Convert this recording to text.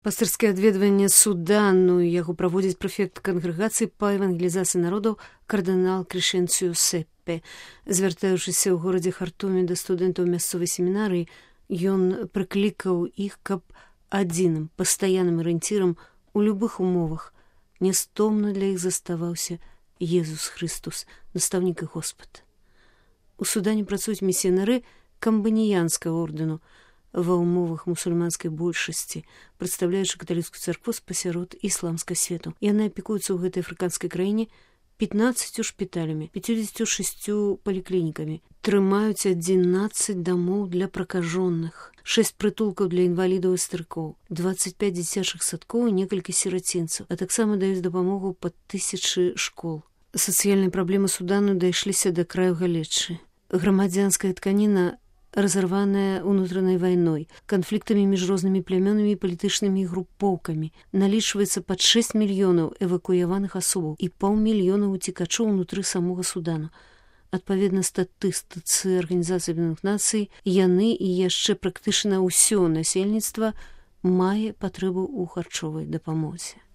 Пастырскае адведванне Судану яго праводзіць прэфект кангрэгацыі па евангелізацыі народаў кардынал Крэшэнцыю Сеппе. Звяртаючыся ў горадзе Хартуме да студэнтаў мясцовай семінарыі, ён прыклікаў іх, каб адзіным пастаянным арыенцірам у любых умовах нястомна для іх заставаўся Езус Христус, настаўнік і Господ. У Судане працуюць місіянары камбаніянскага ордэну ва ўмовах мусульманскай большасці, прадстаўляючы каталіцкую царкву спасярод ісламскай свету. Яны апекуюцца ў гэтай афрыканскай краіне 15 шпіталямі, 56 паліклінікамі, трымаюць 11 дамоў для пракажоных, 6 прытулкаў для інвалідаў і старыкоў, 25 дзіцячых садкоў і некалькі сірацінцаў, а таксама даюць дапамогу пад 1000 школ. Сацыяльныя праблемы Судану дайшліся да краю галечы. Грамадзянская тканіна разарваная ўнутранай вайной, канфліктамі між рознымі плямёнамі і палітычнымі групоўкамі, налічваецца пад 6 мільёнаў эвакуяваных асобаў і 500 000 уцекачоў унутры самога Судану. Адпаведна статыстыцы Арганізацыі Аб'яднаных Нацый, яны і яшчэ практычна ўсё насельніцтва мае патрэбу ў харчовай дапамозе.